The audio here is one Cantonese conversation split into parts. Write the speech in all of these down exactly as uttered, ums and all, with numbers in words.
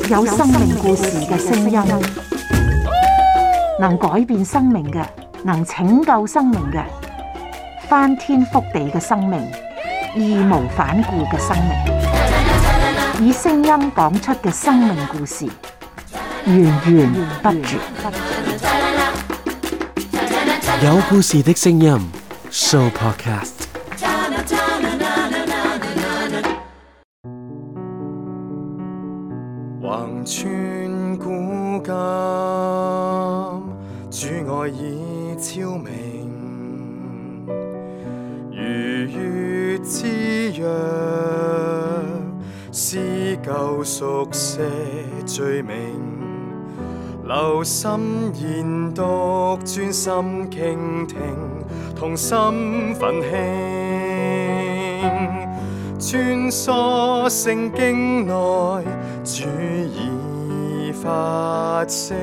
有生命故事嘅聲音，能改變生命嘅，能拯救生命嘅，翻天覆地嘅生命，義無反顧嘅生命，以聲音講出嘅生命故事，源源不絕。有故事的聲音 Show Podcast。橫穿古今，主愛已超明，如月之約，撕舊熟寫罪名，留心研讀，專心傾聽，同心奮興，穿梭聖經內，主已發聲，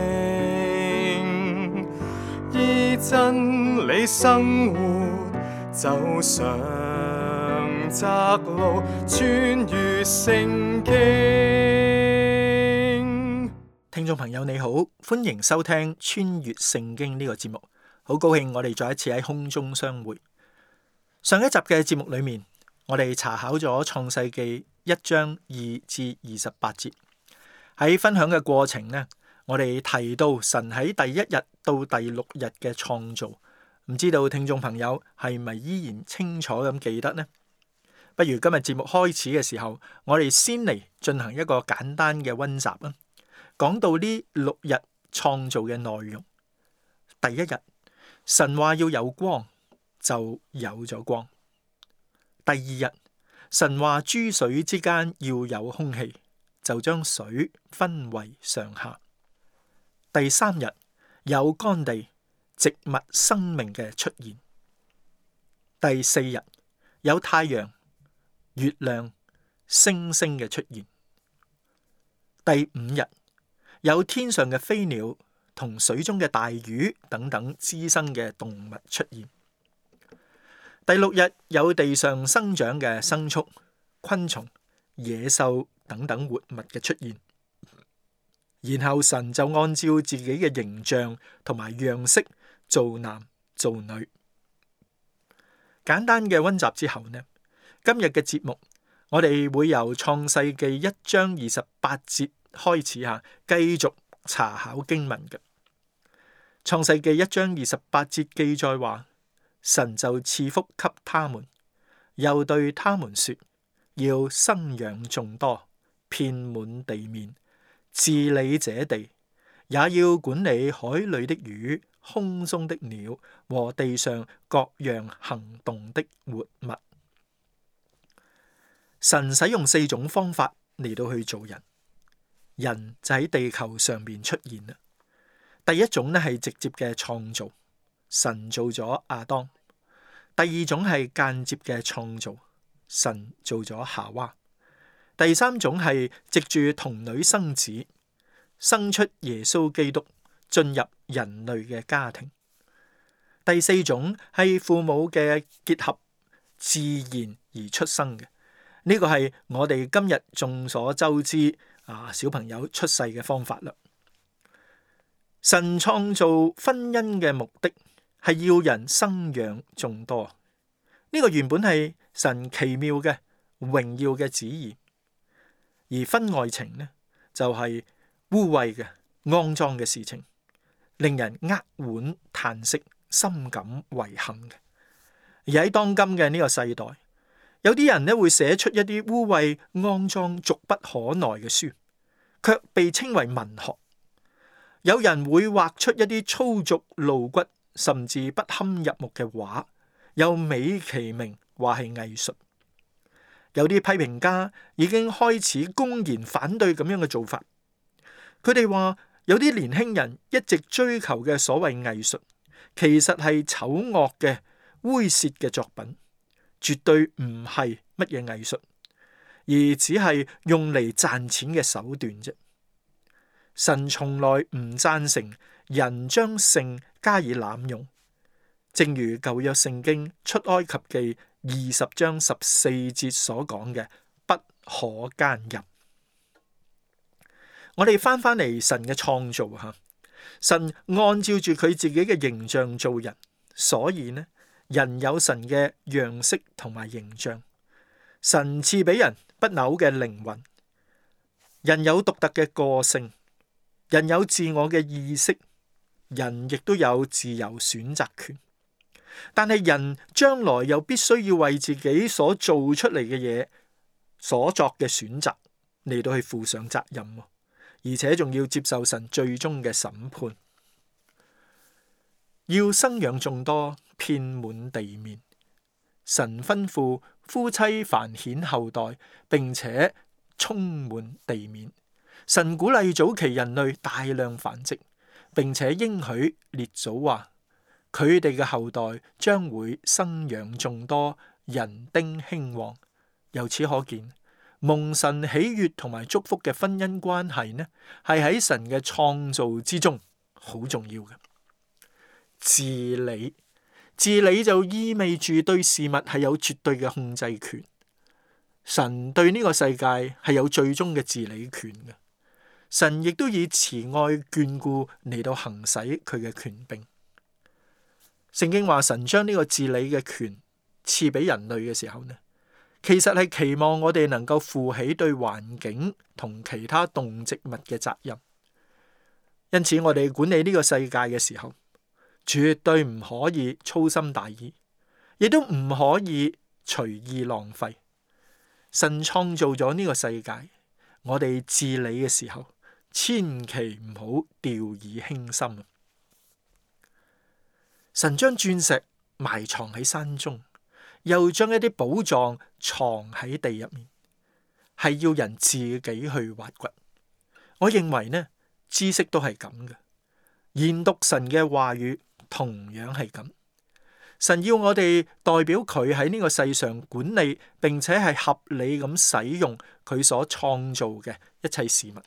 依真理生活，走上窄路，穿越聖經。聽眾朋友你好，歡迎收聽穿越聖經呢個節目，好高興我哋再一次喺空中相會。上一集嘅節目裏面，我哋查考咗創世記一章二至二十八節。喺分享嘅過程呢，我哋提到神喺第一日到第六日嘅創造，唔知道聽眾朋友係咪依然清楚咁記得呢？不如今日節目開始嘅時候，我哋先嚟進行一個簡單嘅溫習啊。講到呢六日創造嘅內容，第一日神話要有光，就有咗光。第二日神話諸水之間要有空氣，就將水分為上下。第三日有乾地，植物生命嘅出現。第四日有太陽、月亮、星星嘅出現。第五日有天上嘅飛鳥同水中嘅大魚等等滋生嘅動物出現。第六日有地上生長嘅牲畜、昆蟲、野獸等等活物嘅出現。然後神就按照自己嘅形象同埋樣式造男造女。簡單嘅溫習之後呢，今日嘅節目我哋會由創世記一章二十八節開始下，繼續查考經文嘅。創世記一章二十八節記載話，神就賜福給他們，又對他們說，要生養眾多，遍滿地面，治理這地，也要管理海裏的魚、空中的鳥和地上各樣行動的活物。神使用四種方法嚟到去做人，人就喺地球上面出現啦。第一種呢係直接嘅創造，神造咗亞當；第二種係間接嘅創造，神造咗夏娃；第三種係藉住童女生子，生出耶穌基督，進入人類嘅家庭；第四種係父母嘅結合，自然而出生嘅。呢個係我哋今日眾所周知啊，小朋友出世嘅方法啦。神創造婚姻嘅目的係要人生養眾多，呢個原本係神奇妙嘅榮耀嘅旨意。而婚外情呢，就係污穢嘅骯髒嘅事情，令人扼腕嘆息，深感遺憾嘅。而喺當今嘅呢個世代，有啲人咧會寫出一啲污穢、骯髒、俗不可耐嘅書，卻被稱為文學。有人會畫出一啲粗俗露骨，甚至不堪入目嘅畫，又美其名話係藝術。有啲批評家已經開始公然反對咁樣嘅做法。佢哋話有啲年輕人一直追求嘅所謂藝術，其實係醜惡嘅猥褻嘅作品。絕對唔係乜嘢藝術，而只係用嚟賺錢嘅手段啫。神從來唔贊成人將性加以濫用，正如舊約聖經出埃及記二十章十四節所講嘅，不可奸淫。我哋翻翻嚟神嘅創造吓，神按照住佢自己嘅形象做人，所以呢，人有神嘅樣式同埋形象。神賜俾人不朽嘅靈魂，人有獨特嘅個性，人有自我嘅意識，人亦都有自由選擇權。但係人將來又必須要為自己所做出嚟嘅嘢所作嘅選擇嚟到去負上責任，而且仲要接受神最終嘅審判。要生養眾多，遍滿地面。神吩咐夫妻繁衍後代，並且充滿地面。神鼓勵早期人類大量繁殖，並且應許列祖話佢哋嘅後代將會生養眾多，人丁興旺。由此可見，蒙神喜悅同埋祝福嘅婚姻關係呢，係喺神嘅創造之中好重要嘅。治理，治理就意味住對事物係有絕對嘅控制權。神對呢個世界係有最終嘅治理權嘅。神亦都以慈愛眷顧嚟到行使佢嘅權柄。聖經話神將呢個治理嘅權賜俾人類嘅時候呢，其實係期望我哋能夠負起對環境同其他動植物嘅責任。因此我哋管理呢個世界嘅時候，絕對唔可以粗心大意，亦都唔可以隨意浪費。神創造咗呢個世界，我哋治理嘅時候，千祈唔好掉以輕心。神將鑽石埋藏喺山中，又將一啲寶藏藏喺地入面，係要人自己去挖掘。我認為呢，知識都係咁嘅，研讀神嘅話語同樣係咁。神要我哋代表佢喺呢個世上管理，並且係合理咁使用佢所創造嘅一切事物，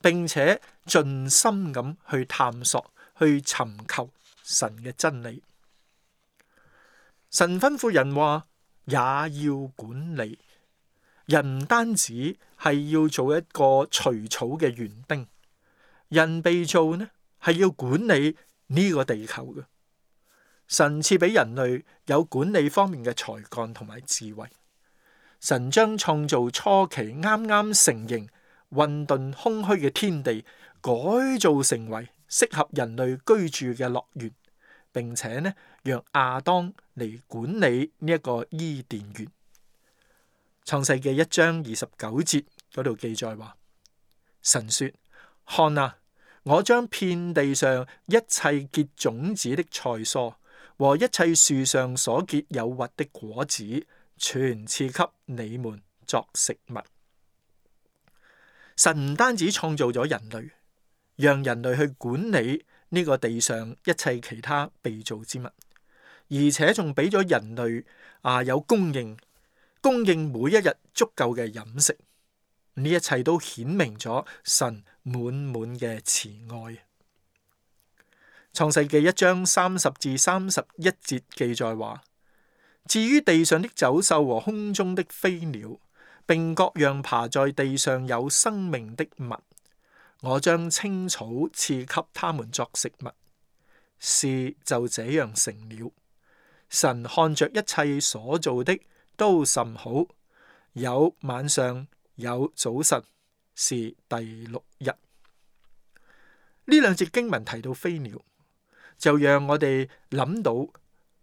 並且盡心咁去探索、去尋求神嘅真理。神吩咐人話，也要管理。人唔單止係要做一個除草嘅園丁，人被造呢係要管理呢個地球嘅。神賜俾人類有管理方面嘅才幹同埋智慧。神將創造初期啱啱成形、混沌空虛嘅天地改造成為適合人類居住嘅樂園，並且呢，讓亞當嚟管理呢一個伊甸園。創世記一章二十九節嗰度記載話，神說：看啊，我將遍地上一切結種子的菜蔬和一切樹上所結有核的果子，全賜給你們作食物。神唔單止創造咗人類，讓人類去管理呢個地上一切其他被造之物，而且仲俾咗人類啊有供應，供應每一日足夠嘅飲食。呢一切都顯明咗神滿滿嘅慈愛。創世記一章三十至三十一節記載話，至於地上的走獸和空中的飛鳥，並各樣爬在地上有生命的物，我將青草賜給他們作食物。事就這樣成了。神看着一切所做的都甚好，有晚上，有早晨，是第六日。呢兩節經文提到飛鳥，就讓我哋諗到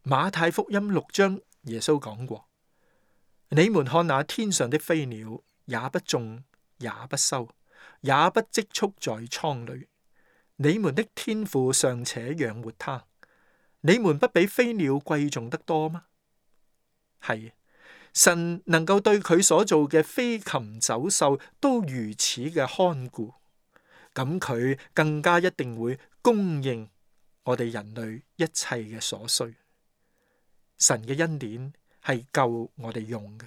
馬太福音六章耶穌講過：你們看那天上的飛鳥，也不種，也不收，也不積蓄在倉裏，你們的天父尚且養活它，你們不比飛鳥貴重得多嗎？係，神能夠對佢所做嘅飛禽走獸都如此嘅看顧，咁佢更加一定會供應我哋人類一切嘅所需。神嘅恩典係夠我哋用嘅，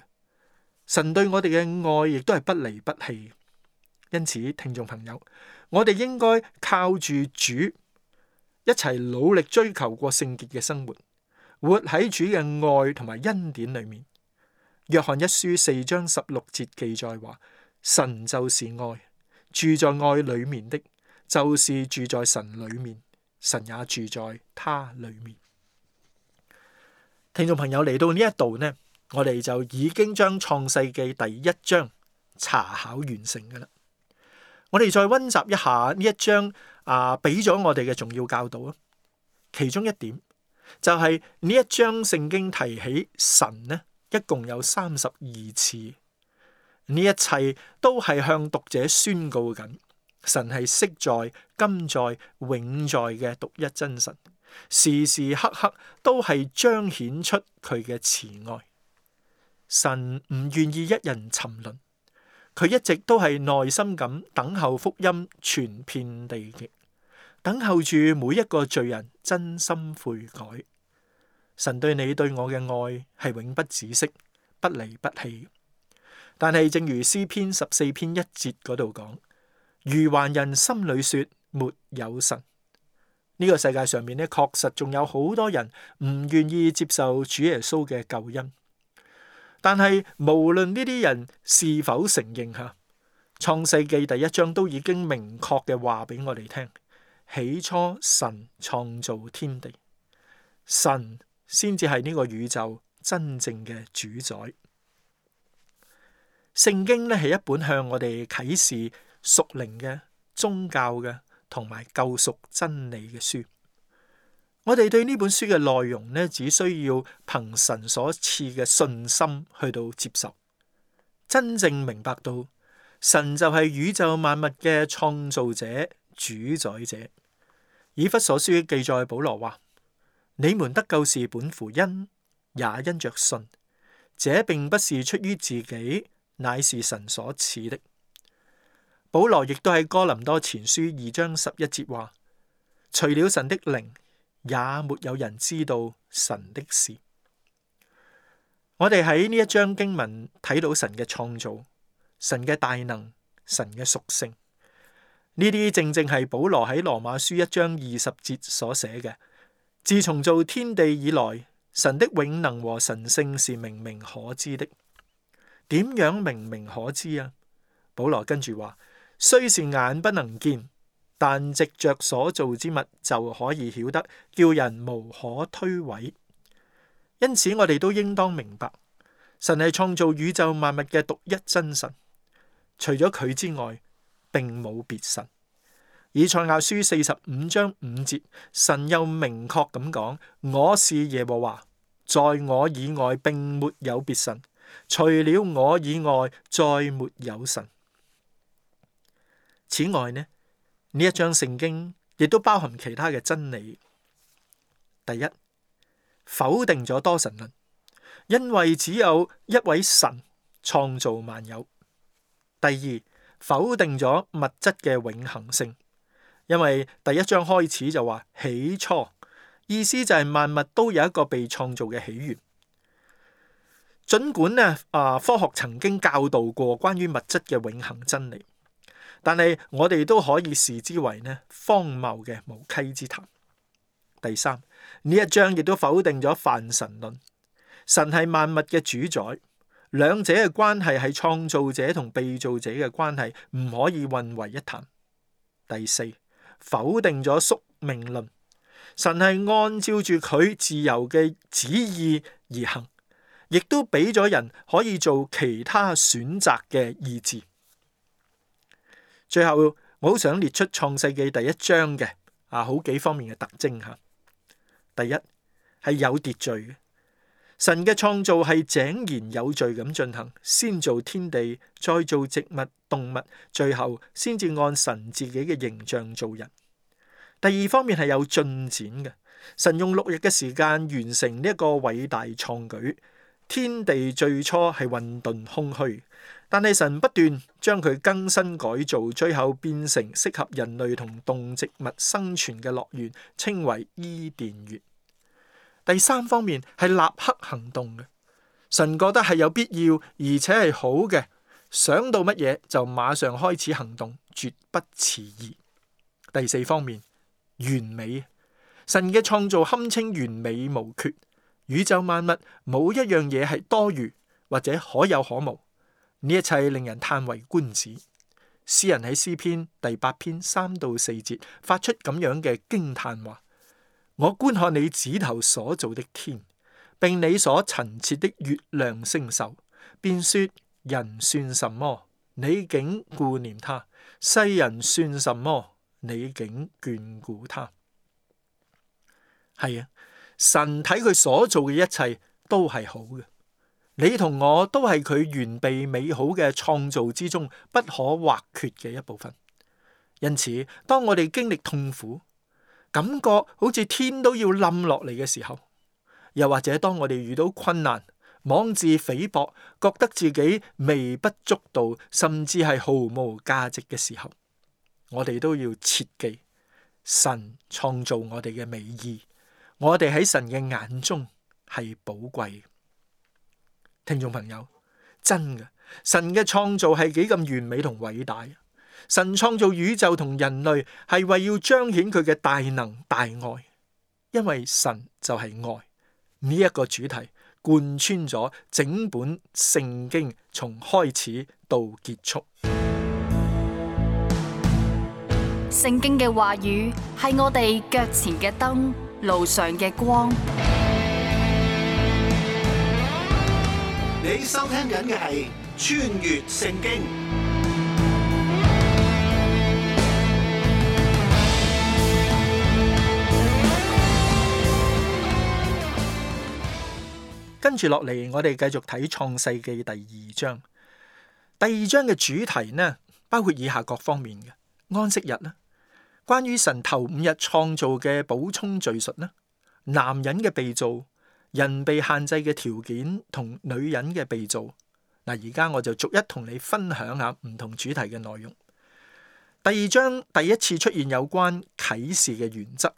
神對我哋嘅愛亦都係不離不棄。因此，聽眾朋友，我哋應該靠住主一齊努力追求過聖潔嘅生活，活喺主嘅愛同埋恩典裏面。約翰一書四章十六節記載話：神就是愛，住在愛裏面的，就是住在神裏面，神也住在他裏面。聽眾朋友，嚟到呢一度呢，我哋就已經將創世記第一章查考完成㗎喇。我哋再溫習一下呢一章啊，俾咗我哋嘅重要教導啊。其中一點就係、是、呢一章聖經提起神呢，一共有三十二次。呢一切都係向讀者宣告緊，神係昔在、今在、永在嘅獨一真神。時時刻刻都係彰顯出佢嘅慈愛。神唔願意一人沉淪，佢一直都係耐心咁等候福音傳遍地極，等候住每一個罪人真心悔改。神對你對我嘅愛係永不止息，不離不棄。但係正如詩篇十四篇一節嗰度講，愚頑人心裏說沒有神。呢個世界上面咧，確實仲有好多人唔願意接受主耶穌嘅救恩。但係無論呢啲人是否承認吓，創世記第一章都已經明確嘅話俾我哋聽：起初神創造天地，神先至係呢個宇宙真正嘅主宰。聖經咧係一本向我哋啟示屬靈嘅、宗教嘅同埋救贖真理嘅書。我哋對呢本書嘅內容呢，只需要憑神所賜嘅信心去到接受，真正明白到神就係宇宙萬物嘅創造者、主宰者。以弗所書記載保羅話：你們得救是本乎恩，也因着信。這並不是出於自己，乃是神所賜的。保羅亦都喺哥林多前書二章十一節話：除了神的靈，也沒有人知道神的事。我哋喺呢一章經文睇到神嘅創造、神嘅大能、神嘅屬性。呢啲正正係保羅喺羅馬書一章二十節所寫嘅。自從造天地以來，神的永能和神性是明明可知的。點樣明明可知啊？保羅跟住話：雖是眼不能見，但藉着所造之物就可以曉得，叫人無可推諉。因此我哋都應當明白，神係創造宇宙萬物嘅獨一真神，除咗佢之外並冇別神。以賽亞書四十五章五節，神又明確咁講：我是耶和華，在我以外並沒有別神，除了我以外再沒有神。此外呢，呢一章聖經亦都包含其他嘅真理。第一，否定咗多神論，因為只有一位神創造萬有。第二，否定咗物質嘅永恆性，因為第一章開始就話起初，意思就係萬物都有一個被創造嘅起源。儘管呢啊科學曾經教導過關於物質嘅永恆真理，但係我哋都可以視之為呢荒謬嘅無稽之談。第三，呢一章亦都否定咗泛神論，神係萬物嘅主宰，兩者嘅關係係創造者同被造者嘅關係，唔可以混為一談。第四，否定咗宿命論，神係按照住佢自由嘅旨意而行，亦都俾咗人可以做其他選擇嘅意志。最後，我好想列出創世記第一章嘅啊好幾方面嘅特徵吓。第一，係有秩序嘅，神嘅創造係井然有序咁進行，先造天地，再造植物、動物，最後先至按神自己嘅形象造人。第二方面係有進展嘅，神用六日嘅時間完成呢一個偉大創舉。天地最初係混沌空虛，但係神不斷將佢更新改造，最後變成適合人類同動植物生存嘅樂園，稱為伊甸園。第三方面係立刻行動嘅，神覺得係有必要而且係好嘅，想到乜嘢就馬上開始行動，絕不遲疑。第四方面完美，神嘅創造堪稱完美無缺。宇宙萬物冇一樣嘢係多餘或者可有可無，呢一切令人嘆為觀止。詩人喺詩篇第八篇三到四節發出咁樣嘅驚嘆話：我觀看你指頭所造的天，並你所陳設的月亮星宿，便說：人算什麼？你竟顧念他；世人算什麼？你竟眷顧他。係啊，神睇佢所做嘅一切都係好嘅。你同我都係佢完備美好嘅創造之中不可或缺嘅一部分。因此，當我哋經歷痛苦，感覺好似天都要冧落嚟嘅時候，又或者當我哋遇到困難，妄自菲薄，覺得自己微不足道，甚至係毫無價值嘅時候，我哋都要切記神創造我哋嘅美意，我哋喺神嘅眼中係寶貴。聽眾朋友，真嘅，神嘅創造係幾咁完美同偉大。神創造宇宙同人類係為要彰顯佢嘅大能大愛，因為神就係愛。呢一個主題貫穿咗整本聖經，從開始到結束。聖經嘅話語係我哋腳前嘅燈，路上嘅光。你收聽緊嘅係穿越聖經。跟住落嚟，我哋繼續睇創世記第二章。第二章嘅主題呢，包括以下各方面嘅：安息日啦，關於神頭五日創造嘅補充敘述啦，男人嘅被造，人被限制嘅條件同女人嘅被造。嗱，而家我就逐一同你分享下唔同主題嘅內容。第二章第一次出現有關啟示嘅原則，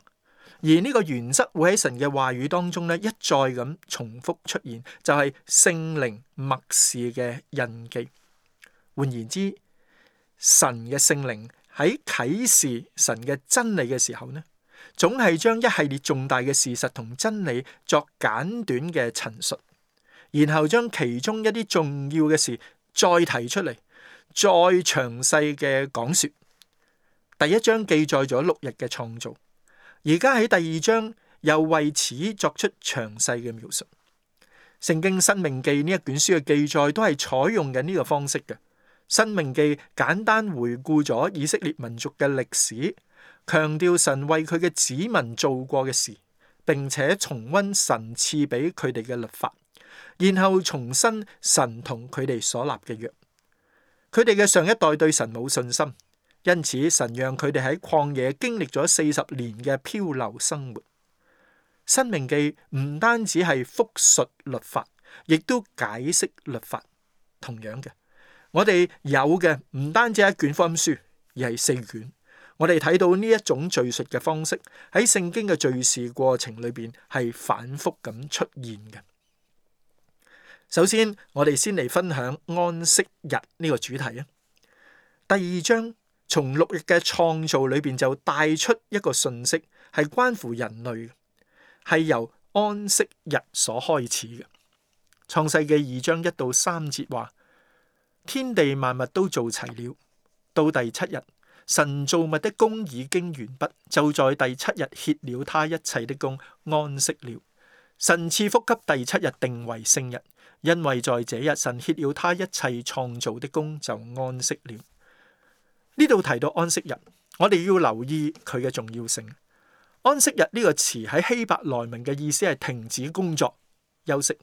而呢個原則會喺神嘅話語當中咧一再咁重複出現，就係聖靈默示嘅印記。換言之，神嘅聖靈喺啟示神嘅真理嘅時候呢，總係將一系列重大嘅事實同真理作簡短嘅陳述，然後將其中一啲重要嘅事再提出嚟，再詳細嘅講說。第一章記載咗六日嘅創造，而家喺第二章又為此作出詳細嘅描述。聖經申命記呢一卷書嘅記載都係採用緊呢個方式嘅。申命記簡單回顧咗以色列民族嘅歷史，強調神為佢嘅子民做過嘅事，並且重溫神賜俾佢哋嘅律法，然後重申神同佢哋所立嘅約。佢哋嘅上一代對神冇信心，因此神讓佢哋喺曠野經歷咗四十年嘅漂流生活。申命記唔單止係複述律法，亦都解釋律法。同樣嘅，我哋有嘅唔單止係一卷福音書，而係四卷。我哋睇到呢一種敘述嘅方式喺聖經嘅敘事過程裏邊係反覆咁出現嘅。首先，我哋先嚟分享安息日呢個主題啊。第二章從六日嘅創造裏邊就帶出一個信息，係關乎人類，係由安息日所開始嘅。創世記二章一到三節話：天地萬物都做齊了，到第七日，神造物的工已經完畢，就在第七日歇了他一切的工，安息了。神賜福給第七日，定為聖日，因為在這日神歇了他一切創造的工，就安息了。呢度提到安息日，我哋要留意佢嘅重要性。安息日呢個詞喺希伯來文嘅意思係停止工作、休息。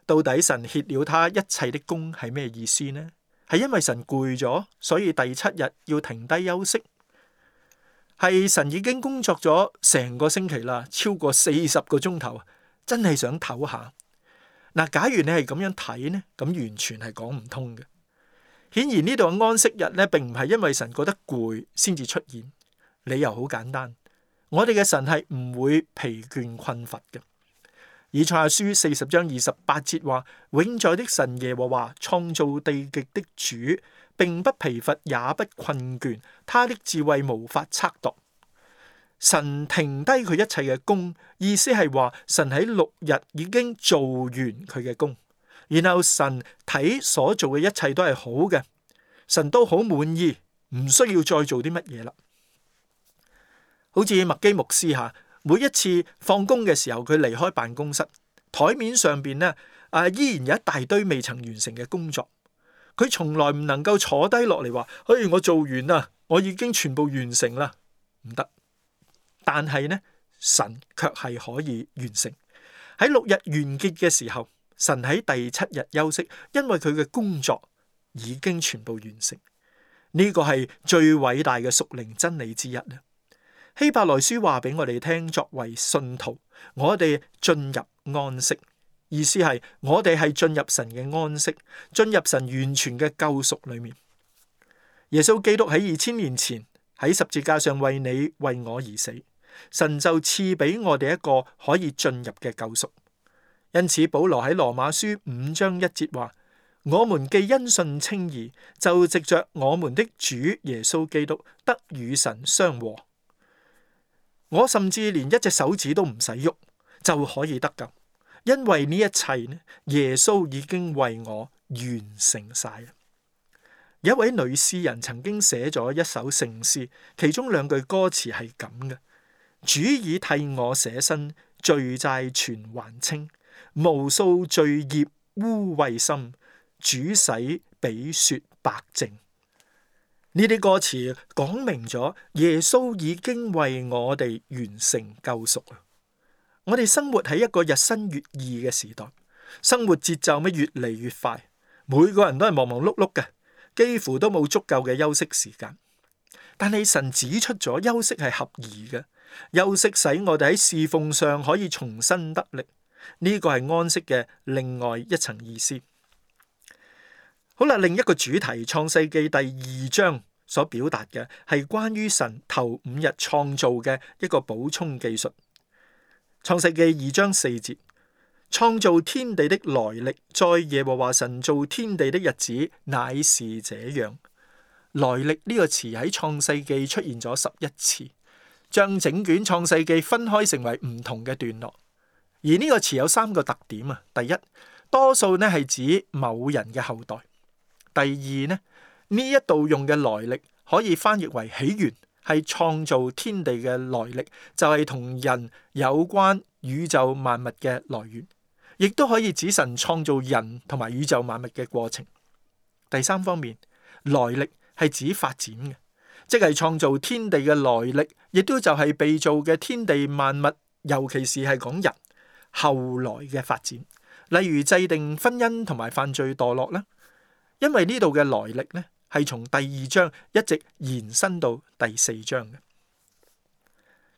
到底神歇了他一切的工係咩意思呢？係因為神攰咗，所以第七日要停低休息？係神已經工作咗成個星期啦，超過四十個鐘頭，真係想唞下。嗱，假如你係咁樣睇呢，咁完全係講唔通嘅。顯然呢度嘅安息日咧，並唔係因為神覺得攰先至出現，理由好簡單，我哋嘅神係唔會疲倦困乏嘅。以賽亞書四十章二十八節話：永在的神耶和華創造地極的主，並不疲乏也不困倦，他的智慧無法測度。神停低佢一切嘅工，意思係話神喺六日已經做完佢嘅工。然後神睇所做嘅一切都係好嘅，神都好滿意，唔需要再做啲乜嘢啦。好似麥基牧師吓，每一次放工嘅時候，佢離開辦公室，台面上邊呢啊依然有一大堆未曾完成嘅工作。佢從來唔能夠坐低落嚟話，嘿，我做完啦，我已經全部完成啦，唔得。但係呢，神卻係可以完成。喺六日完結嘅時候，神喺第七日休息，因為佢嘅工作已經全部完成。呢個係最偉大嘅屬靈真理之一啦。希伯來書話俾我哋聽，作為信徒，我哋進入安息。意思係我哋係進入神嘅安息，進入神完全嘅救贖裏面。耶穌基督喺二千年前喺十字架上為你為我而死，神就賜俾我哋一個可以進入嘅救贖。因此保羅喺羅馬書五章一節話：我們既因信稱義，就藉着我們的主耶穌基督得與神相和。我甚至連一隻手指都唔使喐就可以得救。因為呢一切呢，耶穌已經為我完成晒。有一位女詩人曾經寫咗一首聖詩，其中兩句歌詞係咁嘅：主已替我捨身，罪債全還清，無數罪孽污穢心，主洗比雪白淨。呢啲歌詞講明咗耶穌已經為我哋完成救贖啊！我哋生活喺一個日新月異嘅時代，生活節奏咩越嚟越快，每個人都係忙忙碌碌嘅，幾乎都冇足夠嘅休息時間。但係神指出咗休息係合宜嘅，休息使我哋喺侍奉上可以重新得力。呢個係安息嘅另外一層意思。好啦，另一個主題，創世記第二章所表達嘅係關於神頭五日創造嘅一個補充記述。創世記二章四節，創造天地的來歷，在耶和華神造天地的日子，乃是這樣。來歷呢個詞喺創世記出現咗十一次，將整卷創世記分開成為唔同嘅段落。而呢個詞有三個特點啊。第一，多數呢係指某人嘅後代。第二呢，呢一度用嘅來歷可以翻譯為起源。係創造天地嘅來歷，就係同人有關宇宙萬物嘅來源，亦都可以指神創造人同埋宇宙萬物嘅過程。第三方面，來歷係指發展嘅，即係創造天地嘅來歷，亦都就係被造嘅天地萬物，尤其是係講人後來嘅發展，例如制定婚姻同埋犯罪墮落啦。因為呢度嘅來歷呢，係從第二章一直延伸到第四章嘅。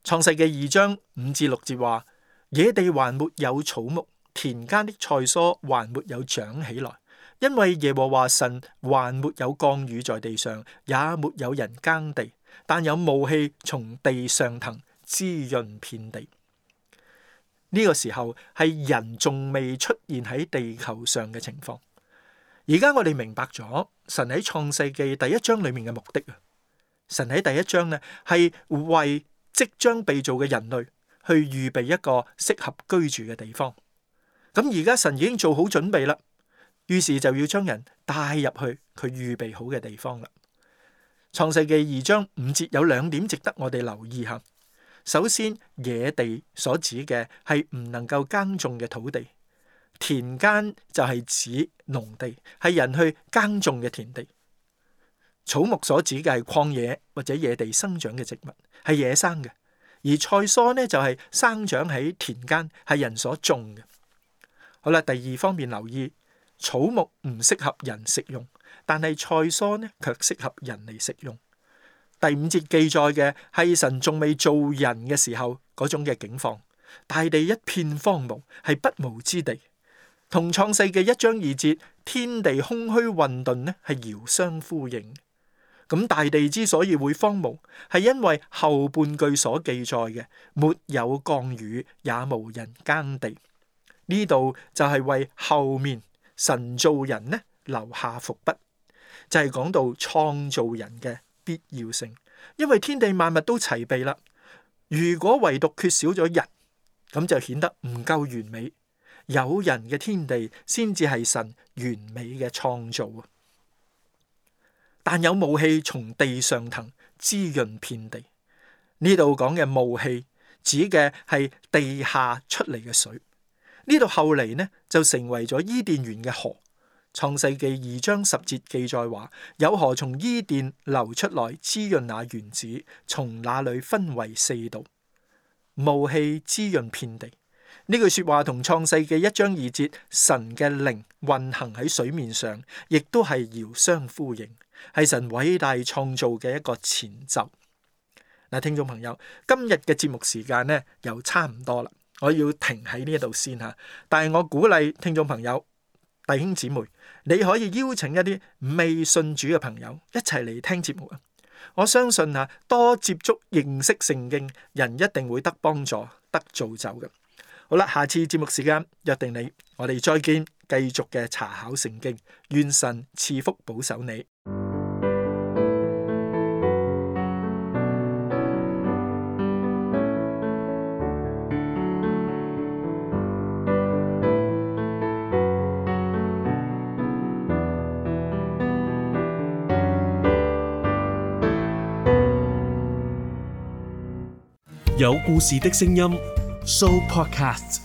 創世記二章五至六節話：野地還沒有草木，田間的菜蔬還沒有長起來，因為耶和華神還沒有降雨在地上，也沒有人耕地，但有霧氣從地上騰，滋潤遍地。呢個時候係人仲未出現喺地球上嘅情況。而家我哋明白咗神喺創世記第一章裏面嘅目的啊！神喺第一章呢係為即將被造嘅人類去預備一個適合居住嘅地方。咁而家神已經做好準備啦，於是就要將人帶入去佢預備好嘅地方啦。創世記二章五節有兩點值得我哋留意下。首先，野地所指嘅係唔能夠耕種嘅土地。田間就係指農地，係人去耕種嘅田地。草木所指嘅係曠野或者野地生長嘅植物，係野生嘅。而菜蔬呢就係生長喺田間，係人所種嘅。好啦，第二方面留意，草木唔適合人食用，但係菜蔬呢卻適合人嚟食用。第五節記載嘅係神仲未造人嘅時候嗰種嘅境況，大地一片荒蕪，係不毛之地。同創世記一章二節天地空虛混沌呢係遙相呼應。咁大地之所以會荒蕪，係因為後半句所記載嘅沒有降雨，也無人耕地。呢度就係為後面神造人呢留下伏筆，就係、是、講到創造人嘅必要性。因為天地萬物都齊備啦，如果唯獨缺少咗人，咁就顯得唔夠完美。有人嘅天地先至係神完美嘅創造啊！但有霧氣從地上騰，滋潤遍地。呢度講嘅霧氣指嘅係地下出嚟嘅水。呢度後嚟呢就成為咗伊甸園嘅河。創世記二章十節記載話，有河從伊甸流出來，滋潤那園子，從那裏分為四道。霧氣滋潤遍地。呢句說話同創世記一章二節神嘅靈運行喺水面上，亦都係遙相呼應，係神偉大創造嘅一個前奏。嗱，聽眾朋友，今日嘅節目時間呢又差唔多啦，我要停喺呢度先吓。但係我鼓勵聽眾朋友、弟兄姊妹，你可以邀請一啲未信主嘅朋友一齊嚟聽節目啊！我相信啊，多接觸認識聖經，人一定會得幫助、得造就嘅。好啦，下次節目時間約定你，我哋再見，繼續嘅查考聖經，願神賜福保守你。有故事的聲音 Show Podcast。